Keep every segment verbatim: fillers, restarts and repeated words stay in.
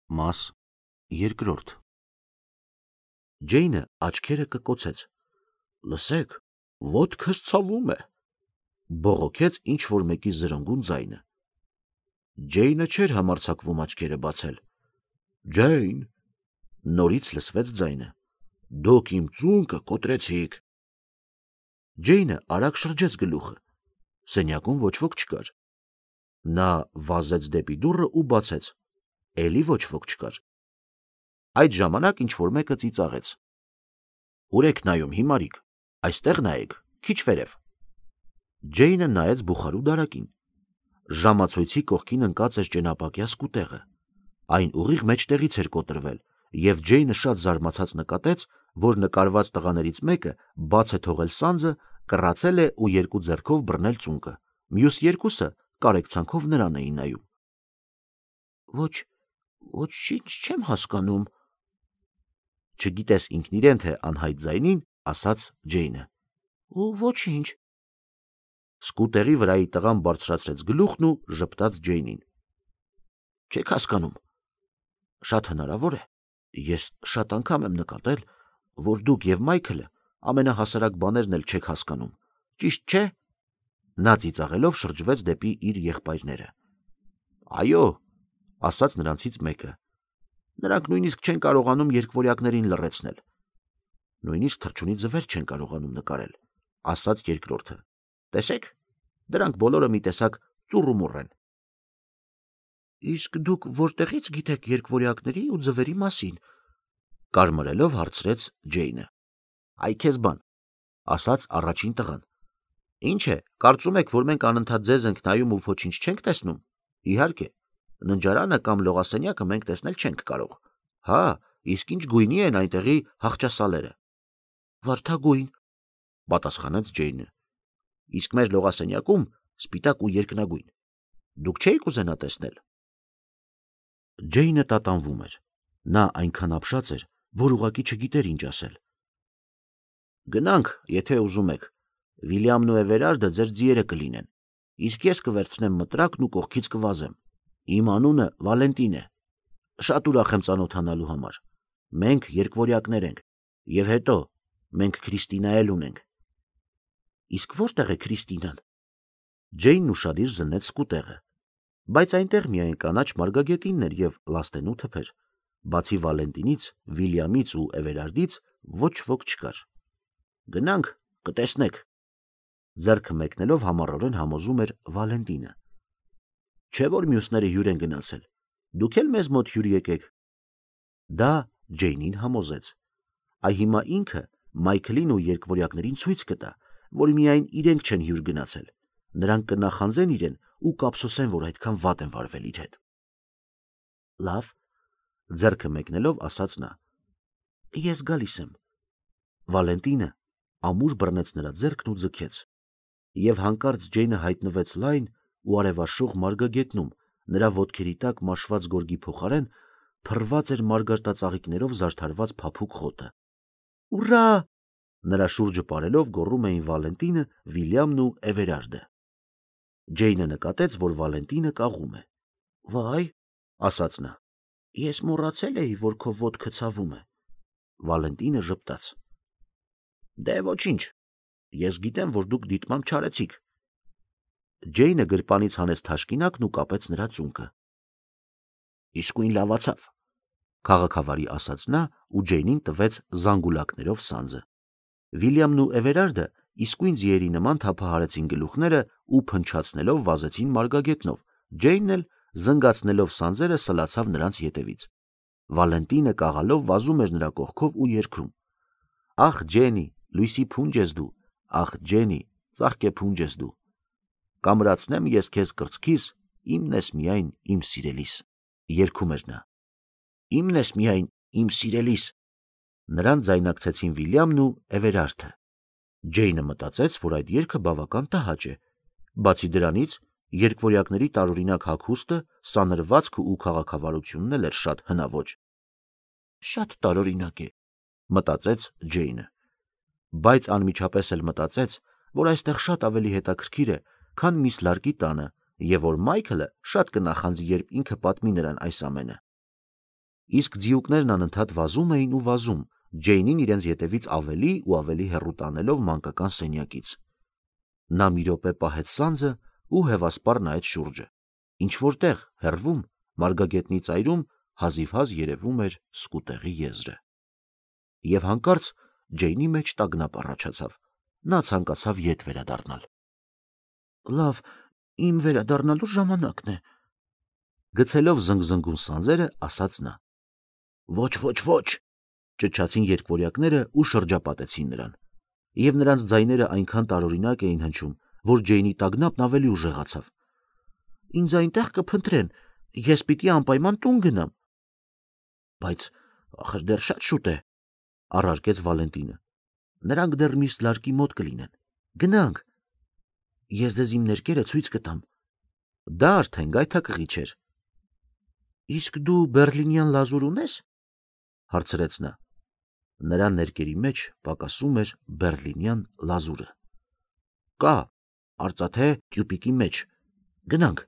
Մաս երկրորդ Ջեյնը աչքերը կկոցեց. լսեք, ոտքս ցավում է, բողոքեց ինչ-որ մեկի զրնգուն ձայնը։ Ջեյնը չէր համարձակվում աչքերը բացել։ Ջեյն, նորից լսվեց ձայնը, դուք իմ ծունկը կոտրեցիք։ Ջեյնը արագ շրջեց գլուխը, սենյակում ոչ ոք չկար։ Նա վազեց դեպի դուռը ու բացեց, էլի ոչ ոք չկար։ Այդ ժամանակ ինչ-որ մեկը ծիծաղեց. Ուր եք նայում, հիմարիկ, այստեղ նայեք, քիչ վերև։ Ջեյնը նայեց բուխարու դարակին։ Ժամացույցի կողքին ընկած էր ճենապակյա սկուտեղը։ Այն ուղիղ մեջտեղից էր կոտրվել, և Ջեյնը շատ զարմացած նկատեց, որ նկարված տղաներից մեկը բաց է թողել սանձը, կռացել է ու երկու ձեռքով բռնել ծունկը, մյուս երկուսը կարեկցանքով նրան էին նայում։ Ոչ, ոչինչ չեմ հասկանում, չգիտես ինքն իրեն, թե անհայտ ձայնին, ասաց Ջեյնը։ Ու ոչինչ։ Սկուտերի վրայի տղան բարձրացրեց գլուխն ու ժպտաց Ջեյնին։ Չեք հասկանում։ Շատ հնարավոր է, ես շատ անգամ եմ նկատել, որ դուք և Մայքլը ամենահասարակ բաներն էլ չեք հասկանում, ճիշտ չէ։ Նա ծիծաղելով շրջվեց դեպի իր եղբայրները։ Այո, ասաց նրանցից մեկը, նրանք նույնիսկ չեն կարողանում երկվորյակներին լռեցնել։ Նույնիսկ թռչունի ձվեր չեն կարողանում նկարել, ասաց երկրորդը։ Տեսեք, դրանք բոլորը մի տեսակ ծուռումուռ են։ Իսկ դուք որտեղից գիտեք երկվորյակների ու ձվերի մասին, կարմրելով հարցրեց Ջեյնը։ Այ քեզ բան, ասաց առաջին տղան։ Ինչ է, կարծում եք, որ մենք անընդհատ ձեզ ենք նայում ու ոչինչ չենք տեսնում։ Իհարկե, ննջարանը կամ լողասենյակը մենք տեսնել չենք կարող։ Հա, իսկ ինչ գույնի են այնտեղի հախճասալերը։ Վարդագույն, պատասխանեց Ջեյնը։ Իսկ մեր լողասենյակում սպիտակ ու երկնագույն։ Դուք չէիք ուզենա տեսնել։ Ջեյնը տատանվում էր։ Նա այնքան ապշած էր, որ ուղղակի չգիտեր ինչ ասել։ Գնանք, եթե ուզում եք։ Վիլյամն ու Էվերարդը ձեր ձիերը կլինեն, իսկ ես կվերցնեմ մտրակն ու կողքից կվազեմ։ Իմ անունը Վալենտին է։ Շատ ուրախ եմ ծանոթանալու համար։ Մենք երկվորյակներ ենք, և հետո մենք Քրիստինա էլ ունենք։ Իսկ որտեղ է Քրիստինան։ Ջեյնն ուշադիր զննեց սկուտեղը, բայց այնտեղ միայն կանաչ մարգագետինն էր և լաստենու թփեր։ Բացի Վալենտինից, Վիլյամից ու Էվերարդից ոչ ոք չկար։ Գնանք, կտեսնեք։ Ձեռքը մեկնելով համառորեն համոզում էր Վալենտինը։ Չէ՞ որ մյուսները հյուր են գնացել։ Դուք էլ մեզ մոտ հյուր եկեք։ Դա Ջեյնին համոզեց։ Այ հիմա ինքը Մայքլին ու երկվորյակներին ցույց կտա, որ միայն իրենք չեն հյուր գնացել։ Նրանք կնախանձեն իրեն ու կափսոսեն, որ այդքան վատ են վարվել իր հետ։ Լավ, ձեռքը մեկնելով ասաց նա։ Ես գալիս եմ։ Վալենտինը ամուր բռնեց նրա ձեռքն ու ձգեց։ Եվ հանկարծ Ջեյնը հայտնվեց լայն ու արևաշխող մարգագետնում, նրա ոտքերի տակ մաշված գորգի փոխարեն փռված էր մարգարտածաղիկներով զարդարված փափուկ խոտը։ Ուռա! Նրա շուրջը պարելով գոռում էին Վալենտինը, Վիլյամն ու Էվերարդը։ Ջեյնը նկատեց, որ Վալենտինը կաղում է։ Վայ, ասաց նա, ես մոռացել էի, որ քո ոտքը ցավում է։ Վալենտինը ժպտաց։ Դե ոչինչ, ես գիտեմ, որ դուք դիտմամբ չարեցիք։ Ջեյնը գրպանից հանեց թաշկինակն ու կապեց նրա ծունկը։ Իսկույն լավացավ, քաղաքավարի ասաց նա ու Ջեյնին տվեց զանգուլակներով սանձը։ Վիլյամն ու Էվերարդը իսկույն ձիերի նման թափահարեցին գլուխները ու փնչացնելով վազեցին մարգագետնով, Ջեյնն էլ զնգացնելով սանձերը սլացավ նրանց ետևից։ Վալենտինը կաղալով վազում էր նրա կողքով ու երգում. Ախ Ջենի, լույսի փունջ ես դու, ախ Ջենի, ծաղկե փունջ ես դու։ Կամրացնեմ ես քեզ կրծքիս, իմն ես միայն իմ սիրելիս։ Երգում էր նա։ Իմն ես միայն իմ սիրելիս։ Նրան ձայնակցեցին Վիլյամն ու Էվերարդը։ Ջեյնը մտածեց, որ այդ երգը բավական տհաճ է։ Բացի դրանից, երկվորյակների տարօրինակ հագուստը, սանրվածքը ու քաղաքավարությունն էլ էր շատ հնաոճ։ Շատ տարօրինակ է, մտածեց Ջեյնը։ Բայց անմիջապես էլ մտածեց, որ այստեղ շատ ավելի հետաքրքիր է, քան միս Լարկի տանը, և որ Մայքլը շատ կնախանձի, երբ ինքը պատմի նրան այս ամենը։ Իսկ ձիուկներն անընդհատ վազում էին ու վազում, Ջեյնին իրենց ետևից ավելի ու ավելի հեռու տանելով մանկական սենյակից։ Նա մի րոպե պահեց սանձը ու հևասպառ նայեց շուրջը։ Ինչ որտեղ հեռվում, մարգագետնի ծայրում հազիվհազ երևում էր սկուտեղի եզրը։ Եվ հանկարծ Ջեյնի մեջ տագնապ առաջացավ։ Նա ցանկացավ ետ վերադառնալ։ Լավ, իմ վերադառնալու ժամանակն է, գցելով զնգզնգուն սանձերը, ասաց նա։ Ոչ, ոչ, ոչ, ճչացին երկվորյակները ու շրջապատեցին նրան, եւ նրանց ձայները այնքան տարօրինակ էին հնչում, որ Ջեյնի տագնապն ավելի ուժեղացավ։ Ինձ այնտեղ կփնտրեն, ես պիտի անպայման տուն գնամ։ Բայց ախր դեռ շատ շուտ է, առարկեց Վալենտինը։ Նրանք դեռ միս լարկի մոտ կլինեն։ Գնանք։ Ես ձեզ իմ ներկերը ցույց կտամ։ Դա արդեն գայթակղի չէր։ Իսկ դու բերլինյան լազուր ունես, հարցրեց նա։ Նրա ներկերի մեջ պակասում էր բերլինյան լազուրը։ Կա, արծաթե տյուպիկի մեջ։ Գնանք։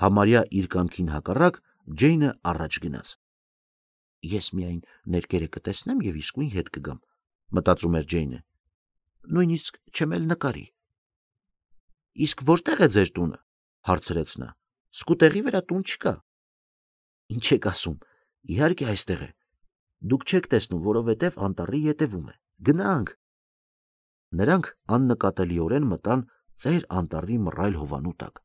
Համարյա իր կամքին հակառակ Ջեյնը առաջ գնաց։ Ես միայն ներկերը կտեսնեմ եւ իսկույն հետ կգամ, մտածում էր Ջեյնը։ Նույնիսկ չեմ էլ նկարի։ Իսկ որտեղ է ձեր տունը, հարցրեց նա։ Սկուտեղի վրա տուն չկա։ Ինչ եք ասում, իհարկե այստեղ է։ Դուք չեք տեսնում, որովհետև անտառի ետևում է։ Գնանք։ Նրանք աննկատելիորեն մտան ծեր անտառի մռայլ հովանու տակ։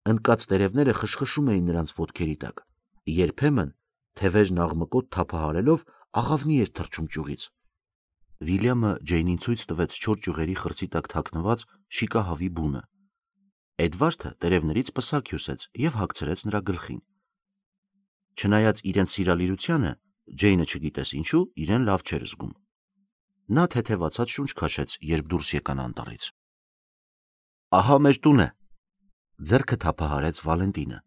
Ընկած տերևները խշխշում էին նրանց ոտքերի տակ։ Երբեմն թևերն աղմկոտ թափահարելով աղավնի էր թռչում ճյուղից։ Վիլյամը Ջեյնին ցույց տվեց չոր ճյուղերի խրձի տակ թաքնված շիկահավի բունը։ Էդվարդը տերևներից պսակ հյուսեց եւ հագցրեց նրա գլխին։ Չնայած իրենց սիրալիրությանը, Ջեյնը չգիտես ինչու իրեն լավ չէր զգում։ Նա թեթևացած շունչ քաշեց, երբ դուրս եկան անտառից։ Ահա մեր տունը, ձեռքը թափահարեց Վալենտինը։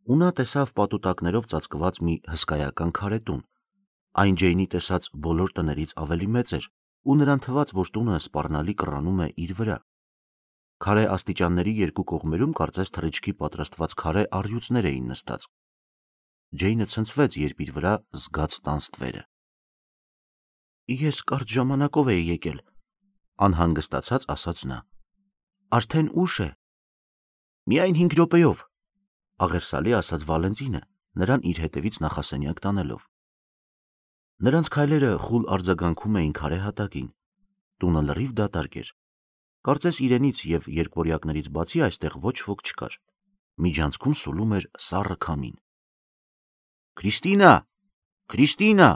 Ու նա տեսավ պատուտակներով ծածկված մի հսկայական քարե տուն։ Այն Ջեյնի տեսած բոլոր տներից ավելի մեծ էր, ու նրան թվաց, որ տունը սպառնալի կռանում է իր վրա։ Քարե աստիճանների երկու կողմերում կարծես թռիչքի պատրաստված քարե առյուծներ էին նստած։ Ջեյնը ցնցվեց, երբ իր վրա զգաց տան ստվերը։ Ես կարճ ժամանակով էի եկել, անհանգստացած ասաց նա։ Արդեն ուշ է։ Միայն հինգ րոպեով, աղերսալի ասաց Վալենտինը, նրան իր հետևից նախասենյակ տանելով։ Նրանց քայլերը խուլ արձագանքում էին քարե հատակին։ Տունը լրիվ դատարկ էր։ Կարծես իրենից եւ երկվորյակներից բացի այստեղ ոչ ոք չկար։ Միջանցքում սուլում էր սառը քամին։ Քրիստինա, Քրիստինա,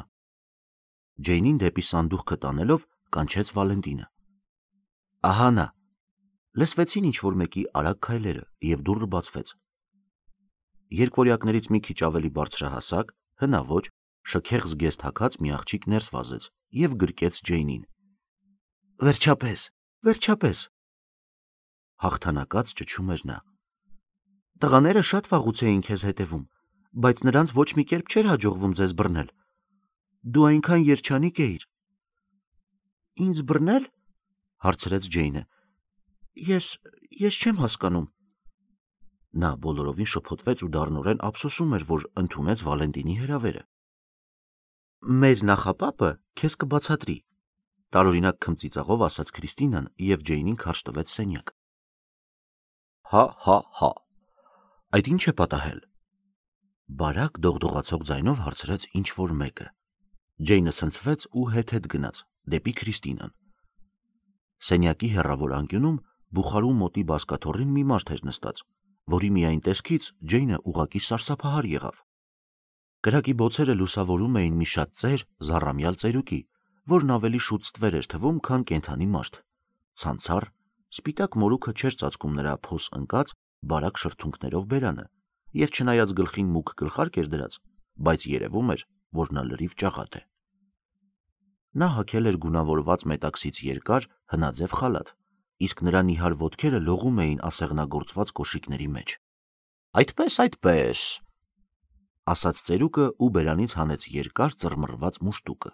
Ջեյնին դեպի սանդուղքը տանելով կանչեց Վալենտինը։ Ահա նա։ Լսվեցին ինչ-որ մեկի արագ քայլերը եւ դուռը բացվեց։ Երկվորյակներից մի քիչ ավելի բարձրահասակ, հնաոճ, շքեղ զգեստ հագած մի աղջիկ ներս վազեց եւ գրկեց Ջեյնին։ Վերջապես, վերջապես, հաղթանակած ճչում էր նա։ Տղաները շատ վաղուց էին քեզ հետևում, բայց նրանց ոչ մի կերպ չէր հաջողվում ձեզ բռնել։ Դու այնքան երջանիկ էիր։ Ինձ բռնել, հարցրեց Ջեյնը։ Ես, ես չեմ հասկանում։ Նա բոլորովին շփոթվեց ու դառնորեն ափսոսում էր, որ ընդունեց Վալենտինի հրավերը։ Մեր նախապապը քեզ կբացատրի, տարօրինակ քմծիծաղով ասաց Քրիստինան եւ Ջեյնին քարշ տվեց սենյակ։ Հա, հա, հա։ Այդ ինչ է պատահել։ Բարակ դողդողացող ձայնով հարցրեց ինչ որ մեկը։ Ջեյնը ցնցվեց ու հետ-հետ գնաց դեպի Քրիստինան։ Սենյակի հեռավոր անկյունում բուխարու մոտի բազկաթոռին մի մարդ էր նստած, որի միայն տեսքից Ջեյնը ուղղակի սարսափահար եղավ։ Կրակի բոցերը լուսավորում էին մի շատ ծեր, զառամյալ ծերուկի, որն ավելի շուտ ստվեր էր թվում, քան կենդանի մարդ։ Ցանցառ, սպիտակ մորուքը չէր ծածկում նրա փոս ընկած, բարակ շրթունքներով բերանը, եւ չնայած գլխին մուգ գլխարկ էր դրած, բայց երևում էր, որ նա լրիվ ճաղատ է։ Նա հագել էր գունավորված մետաքսից երկար, հնաձև խալաթ, իսկ նրա նիհար ոտքերը լողում էին ասեղնագործված կոշիկների մեջ։ Այդպես, այդպես, ասաց ծերուկը ու բերանից հանեց երկար ծռմռված մուշտուկը։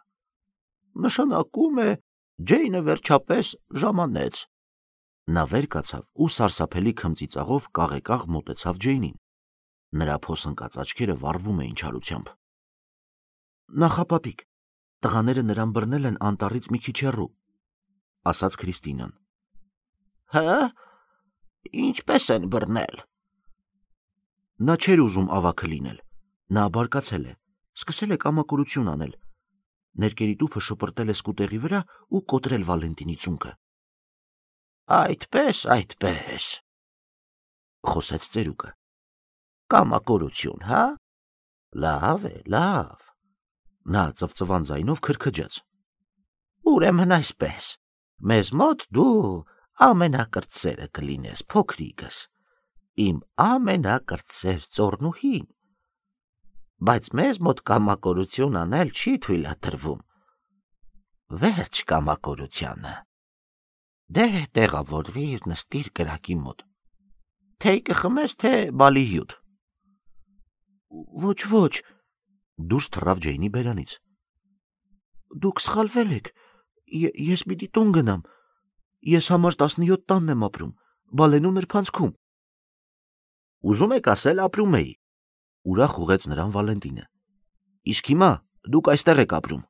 Նշանակում է Ջեյնը վերջապես ժամանեց։ Նա վեր կացավ ու սարսափելի քմծիծաղով կաղեկաղ մոտեցավ Ջեյնին։ Նրա փոսնկած աչքերը վառվում էին չարությամբ։ Նախապապիկ, տղաները նրան բռնել են անտառից մի քիչ հեռու, ասաց Քրիստինան։ Հա՞, ինչպես են բռնել։ Նա չէր ուզում ավագը լինել, նա բարկացել է, սկսել է կամակորություն անել, ներկերի տուփը շպրտել է սկուտեղի վրա ու կոտրել Վալենտինի ծունկը։ Այդպես, այդպես, խոսեց ծերուկը։ Կամակորություն, հա։ Լավ է, լավ։ Նա ծվծվան ձայնով քրքջաց։ Ուրեմն այսպես, մեզ մոտ դու ամենակրտսերը կլինես, փոքրիկս, իմ ամենակրտսեր ծոռնուհին, բայց մեզ մոտ կամակորություն անել չի թույլատրվում։ Վերջ կամակորությանը։ Դե տեղավորվիր, նստիր կրակի մոտ։ Թեյ կխմես, թե բալիհյուտ։ Ոչ, ոչ, դուրս թռավ Ջեյնի բերանից։ Դուք սխալվել եք, ես պիտի տուն գնամ, ես համար տասնյոթ տանն եմ ապրում, Բալենու նրբանցքում։ Ուզում եք ասել ապրում էի, ուրախ ուղեց նրան Վալենտինը։ Իսկ հիմա դուք այստեղ եք ապրում։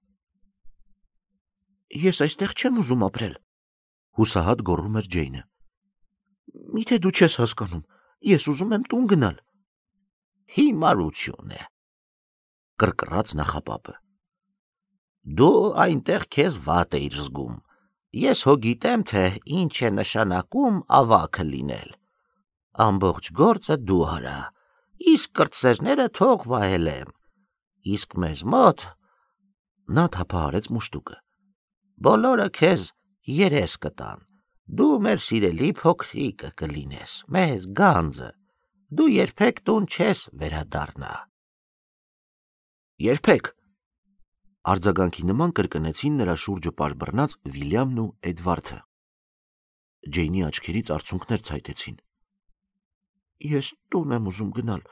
Ես այստեղ չեմ ուզում ապրել, հուսահատ գոռում էր Ջեյնը։ Միթե դու չես հասկանում, ես ուզում եմ տուն գնալ։ Հիմարություն է, կռկռաց նախապապը։ Դու այնտեղ քեզ վատ էիր զգում։ Ես հո գիտեմ, թե ինչ է նշանակում ավագը լինել։ Ամբողջ գործը դու արա, իսկ կրտսերները թող վայելեմ։ Իսկ մեզ մոտ նա թափահարեց մուշտուկը։ Բոլորը քեզ երես կտան։ Դու մեր սիրելի փոքրիկը կլինես, մեզ գանձը։ Դու երբեք տուն չես վերադառնա։ Երբեք։ Արձագանքի նման կրկնեցին նրա շուրջը պարբռնած Վիլյամն ու Էդվարդը։ Ջեյնի աչքերից արցունքներ ցայտեցին։ Ես տուն եմ ուզում գնալ,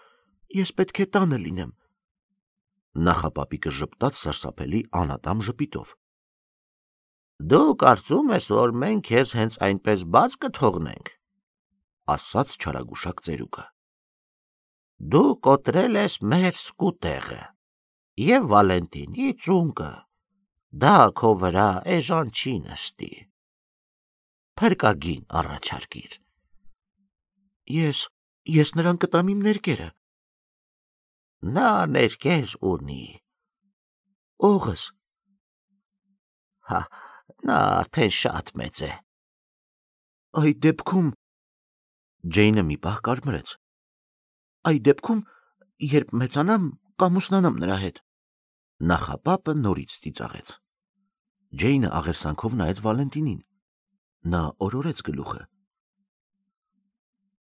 ես պետք է տանը լինեմ։ Նախապապիկը ժպտաց սարսափելի անատամ ժպիտով։ Դու կարծում ես, որ մենք քեզ հենց այնպես բաց կթողնենք, ասաց չարագուշակ ծերուկը։ Դու կոտրել ես մեր սկուտեղը և Վալենտինի ծունկը, դա քո վրա էժան չի նստի։ Փրկագին առաջարկիր։ Ես, ես նրան կտամ իմ ներկերը։ Նա ներկեր ունի։ Օղս։ Հա, նա արդեն շատ մեծ է։ Այդ դեպքում Ջեյնը մի պահ կարմրեց։ Այդ դեպքում, երբ մեծանամ, կամուսնանամ նրա հետ։ Նախապապը նորից ծիծաղեց։ Ջեյնը աղերսանքով նայեց Վալենտինին։ Նա օրորեց գլուխը։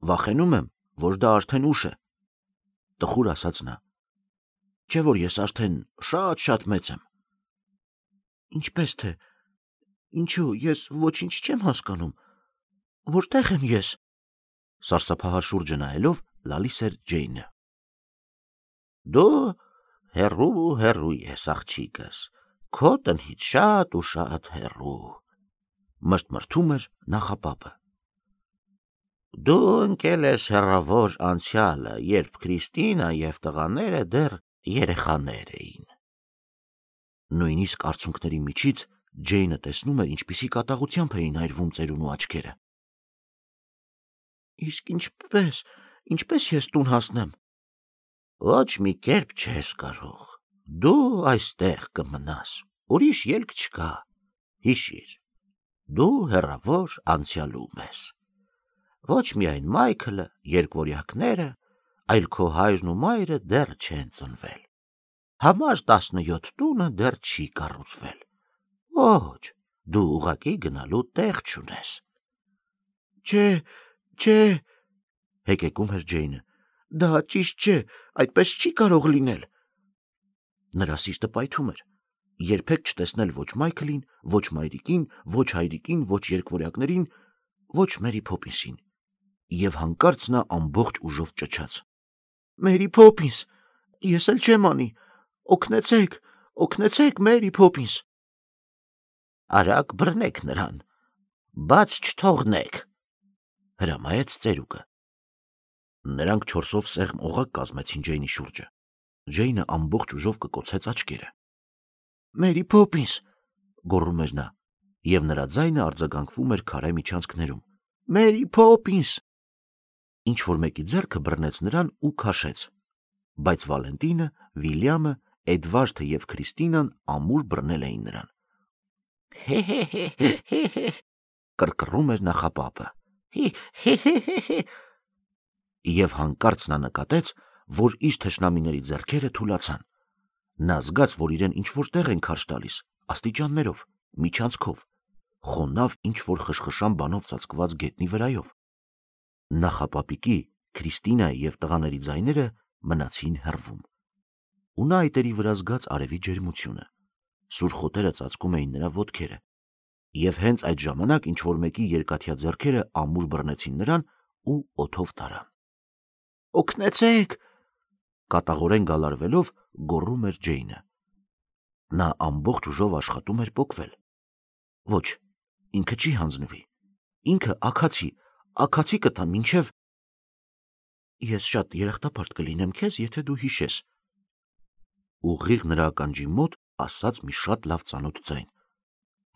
Վախենում եմ, որ դա արդեն ուշ է, տխուր ասաց նա։ Չէ՞ որ ես արդեն շատ-շատ մեծ եմ։ Ինչպես թե, ինչու, ես ոչինչ չեմ հասկանում, որտեղ եմ ես, սարսափահար շուրջը նայելով լալիս էր Ջեյնը։ Դու հեռու հեռու ես, աղջիկս, քո տնից շատ ու շատ հեռու, մրթմրթում էր նախապապը։ Դու ընկել ես հեռավոր անցյալը, երբ Քրիստինա և տղաները դեռ երեխաներ էին։ Նույնիսկ արցունքների միջից Ջեյնը տեսնում էր, ինչպիսի կատաղությամբ էին այրվում ծերունու աչքերը։ Իսկ ինչպես, ինչպես ես տուն հասնեմ։ Ոչ մի կերպ չես կարող, դու այստեղ կմնաս, ուրիշ ելք չկա, հիշիր, դու հեռավոր անցյալում ես։ Ոչ միայն Մայքլը, երկվորյակները, այլ քո հայրն ու մայրը դեռ չեն ծնվել։ Համար տասնյոթ տունը դեռ չի կառուցվել։ Ոչ, դու ուղղակի գնալու տեղ չունես։ Չէ, չէ, հեկեկում էր Ջեյնը, դա ճիշտ չէ, այդպես չի կարող լինել։ Նրա սիրտը պայթում էր, երբեք չտեսնել ոչ Մայքլին, ոչ մայրիկին, ոչ հայրիկին, ոչ երկվորյակներին, ոչ Մերի Փոփինսին, և հանկարծ նա ամբողջ ուժով ճչաց. Մերի Փոփինս, ես էլ չեմ անի, օգնեցեք, օգնեցեք, Մերի Փոփինս։ Արագ բռնեք նրան, բաց չթողնեք, հրամայեց ծերուկը։ Նրանք չորսով սեղմ օղակ կազմեցին Ջեյնի շուրջը։ Ջեյնը ամբողջ ուժով կկոցեց աչքերը։ «Մերի Փոփինս», գոռում էր նա, եւ նրա ձայնը արձագանքվում էր քարե միջանցքներում։ «Մերի Փոփինս»։ Ինչ որ մեկի ձեռքը բռնեց նրան ու քաշեց, բայց Վալենտինը, Վիլյամը, Էդվարդը եւ Քրիստինան ամուր բռնել էին նրան։ «Հե-հե-հե-հե-հե», կռկռում էր նախապապը։ «Հե-հե-հե-հե»։ Եվ հանկարծ նա նկատեց, որ իր թշնամիների ձեռքերը թուլացան։ Նա զգաց, որ իրեն ինչ-որ տեղ են քարշ տալիս, աստիճաններով, միջանցքով, խոնավ ինչ-որ խշխշան բանով ծածկված գետնի վրայով։ Նախապապիկի, Քրիստինայի եւ տղաների ձայները մնացին հեռվում։ Ու նա այտերի վրա զգաց արևի ջերմությունը։ Սուր խոտերը ծածկում էին նրա ոտքերը, եւ հենց այդ ժամանակ ինչ-որ մեկի երկաթյա ձեռքերը ամուր բռնեցին նրան ու օդով տարան։ «Օգնեցեք», կատաղորեն գալարվելով գոռում էր Ջեյնը։ Նա ամբողջ ուժով աշխատում էր պոկվել։ Ոչ, ինքը չի հանձնվի։ Ինքը աքացի, աքացի կտա մինչև… Ես շատ երախտապարտ կլինեմ քեզ, եթե դու հիշես։ Ուղիղ նրա ականջի մոտ ասաց մի շատ լավ ծանոթ ձայն,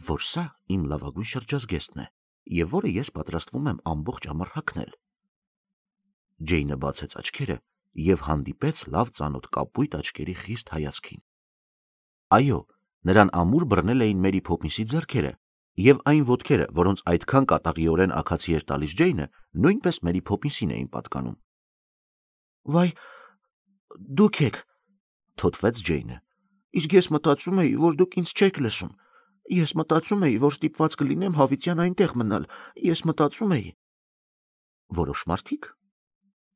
որ սա իմ լավագույն շրջազգեստն է, եւ որը ես պատրաստվում եմ ամբողջ ամառ հագնել։ Ջեյնը բացեց աչքերը եւ հանդիպեց լավ ծանոթ կապույտ աչքերի խիստ հայացքին։ Այո, նրան ամուր բռնել էին Մերի Փոփինսի ձեռքերը, եւ այն ոտքերը, որոնց այդքան կատաղիորեն աքացի էր տալիս Ջեյնը, նույնպես Մերի Փոփինսին էին պատկանում։ «Վայ, դուք եք», թոթվեց Ջեյնը։ «Իսկ ես մտածում էի, որ դուք ինձ չեք լսում։ Ես մտածում էի, որ ստիպված կլինեմ հավիտյան այնտեղ մնալ։ Ես մտածում էի…» Որոշ մարդիկ,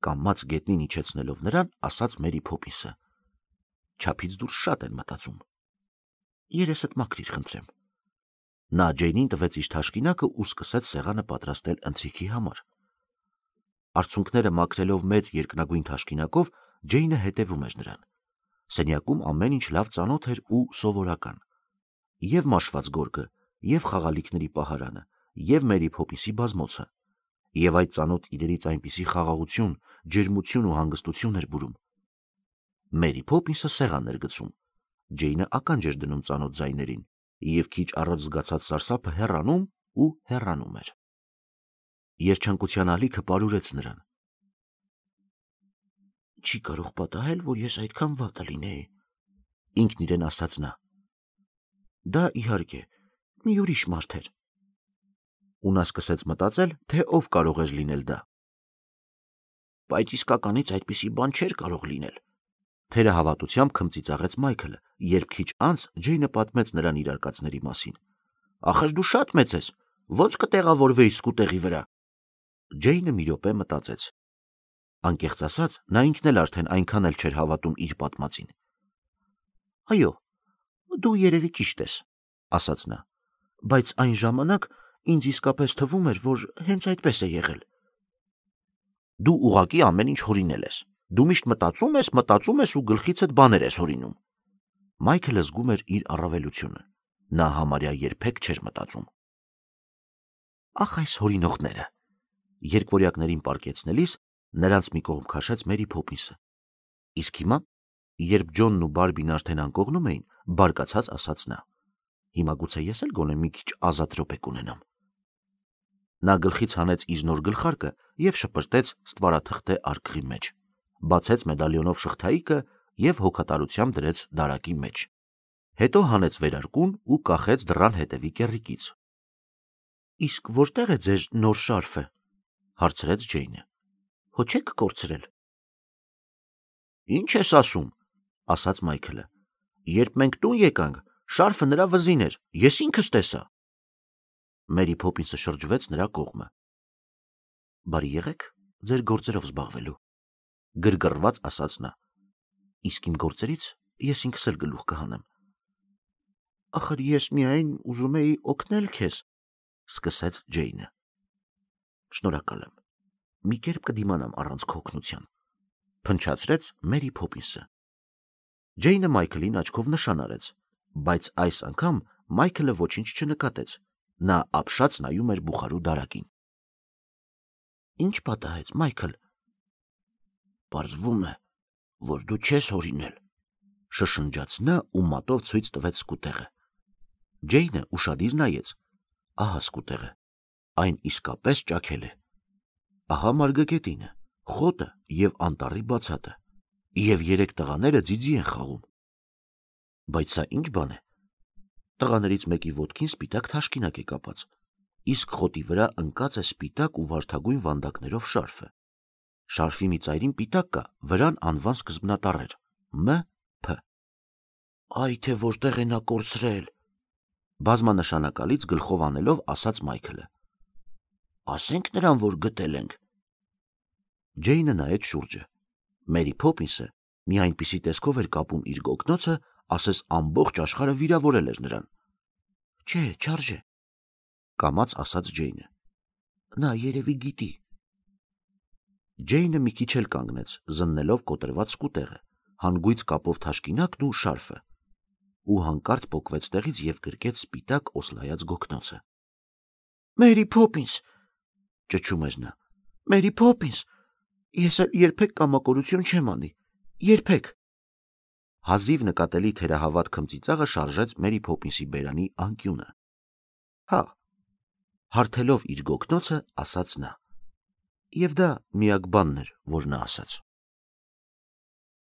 կամաց գետնին իջեցնելով նրան, ասաց Մերի Փոփինսը, չափից դուրս շատ են մտածում։ Երեսդ մաքրիր, խնդրեմ։ Նա Ջեյնին տվեց իր թաշկինակը ու սկսեց սեղանը պատրաստել ընթրիքի համար։ Արցունքները մաքրելով մեծ երկնագույն թաշկինակով, Ջեյնը հետևում էր նրան։ Սենյակում ամեն ինչ լավ ծանոթ էր ու սովորական։ Եվ մաշված գորգը, եւ խաղալիքների պահարանը, եւ Մերի Փոփինսի բազմոցը, եւ այդ ծանոթ իրերից այնպիսի խաղաղություն, ջերմություն ու հանգստություն էր բուրում։ Մերի Փոփինսը սեղան էր գցում։ Ջեյնը ականջ էր դնում ծանոթ ձայներին, եւ քիչ առաջ զգացած սարսափը հեռանում ու հեռանում էր։ Երջանկության ալիքը պարուրեց նրան։ Չի կարող պատահել, որ ես այդքան վատը լինեի, ինքն իրեն ասաց նա։ Դա իհարկե, մի ուրիշ մարդ էր։ Ու նա սկսեց մտածել, թե ով կարող էր լինել դա։ Բայց իսկականից այդպիսի բան չէր կարող լինել։ Թերահավատությամբ քմծիծաղեց Մայքլը, երբ քիչ անց Ջեյնը պատմեց նրան իր արկածների մասին։ Ախր դու շատ մեծ ես, ո՞նց կտեղավորվեիր սկուտեղի վրա։ Ջեյնը մի րոպե մտածեց։ Անկեղծ ասած, նա ինքն էլ արդեն այնքան էլ չէր հավատում իր պատմածին։ Այո, դու երևի ճիշտ ես, ասաց նա, բայց այն ժամանակ ինձ իսկապես թվում էր, որ հենց այդպես է եղել։ Դու ուղղակի ամեն ինչ հորինել ես։ Դու միշտ մտածում ես, մտածում ես ու գլխիցդ բաներ ես հորինում։ Մայքլը զգում էր իր առավելությունը։ Նա համարյա երբեք չէր մտածում։ Ախ, այս հորինողները։ Երկվորյակներին պարկեցնելիս նրանց մի կողմ քաշեց Մերի Փոփինսը։ Իսկ հիմա, երբ Ջոնն ու Բարբին արդեն անկողնում էին, բարկացած ասաց նա. Հիմա գուցե ես էլ գոնե մի քիչ ազատ րոպե կունենամ։ Նա գլխից հանեց իր նոր գլխարկը եւ շպրտեց ստվարաթղթե արկղի մեջ, բացեց մեդալյոնով շղթայիկը եւ հոգատարությամբ դրեց դարակի մեջ։ Հետո հանեց վերարկուն ու կախեց դռան հետևի կեռիկից։ Իսկ որտեղ է ձեր նոր շարֆը, հարցրեց Ջեյնը։ Հո չեք կորցրել։ Ինչ ես ասում, ասաց Մայքլը։ Երբ մենք տուն եկանք, շարֆը նրա վզին էր, ես ինքս տեսա։ Մերի Փոփինսը շրջվեց նրա կողմը։ Բարի եղեք ձեր գործերով զբաղվելու, գրգռված ասաց նա։ Իսկ իմ գործերից ես ինքս էլ գլուխ կհանեմ։ Ախր ես միայն ուզում էի օգնել քեզ, սկսեց Ջեյնը։ Շնորհակալ եմ։ Մի կերպ կդիմանամ առանց քո օգնության, փնչացրեց Մերի Փոփինսը։ Ջեյնը Մայքլին աչքով նշան արեց, բայց այս անգամ Մայքլը ոչինչ չնկատեց։ Նա ապշած նայում էր բուխարու դարակին։ Ինչ պատահեց, Մայքլ։ Պարզվում է, որ դու չես հորինել, շշնջաց նա ու մատով ցույց տվեց սկուտեղը։ Ջեյնը ուշադիր նայեց, ահա սկուտեղը, այն իսկապես ճաքել է։ Ահա մարգագետինը, խոտը և անտառի բացատը, և երեք տղաները ձիձի են խաղում։ Բայց սա ինչ բան է։ Տղաներից մեկի ոտքին սպիտակ թաշկինակ է կապած, իսկ խոտի վրա ընկած է սպիտակ ու վարդագույն վանդակներով շարֆը։ Շարֆի մի ծայրին պիտակ կա, վրան անվան սկզբնատառեր՝ Մ Փ։ Այ թե որտեղ է նա կորցրել, բազմանշանակալից գլխով անելով ասաց Մայքլը։ Ասենք նրան, որ գտել ենք։ Ջեյնը նայեց շուրջը։ Մերի Փոփինսը մի այնպիսի տեսքով էր կապում իր գոգնոցը, ասես ամբողջ աշխարհը վիրավորել էր նրան։ Չէ, չարժե, կամաց ասաց Ջեյնը։ Նա երևի գիտի։ Ջեյնը մի քիչ էլ կանգնեց, զննելով կոտրված սկուտեղը, հանգույց կապով թաշկինակն ու շարֆը, ու հանկարծ պոկվեց տեղից և գրկեց սպիտակ օսլայած գոգնոցը։ Մերի Փոփինս, ճչում էր նա, Մերի Փոփինս, ես էլ երբեք կամակորություն չեմ անի, երբեք։ Հազիվ նկատելի թերահավատ քմծիծաղը շարժեց Մերի Փոփինսի բերանի անկյունը։ Հա, հարթելով իր գոգնոցը, ասաց նա։ Եվ դա միակ բանն էր, որ նա ասաց։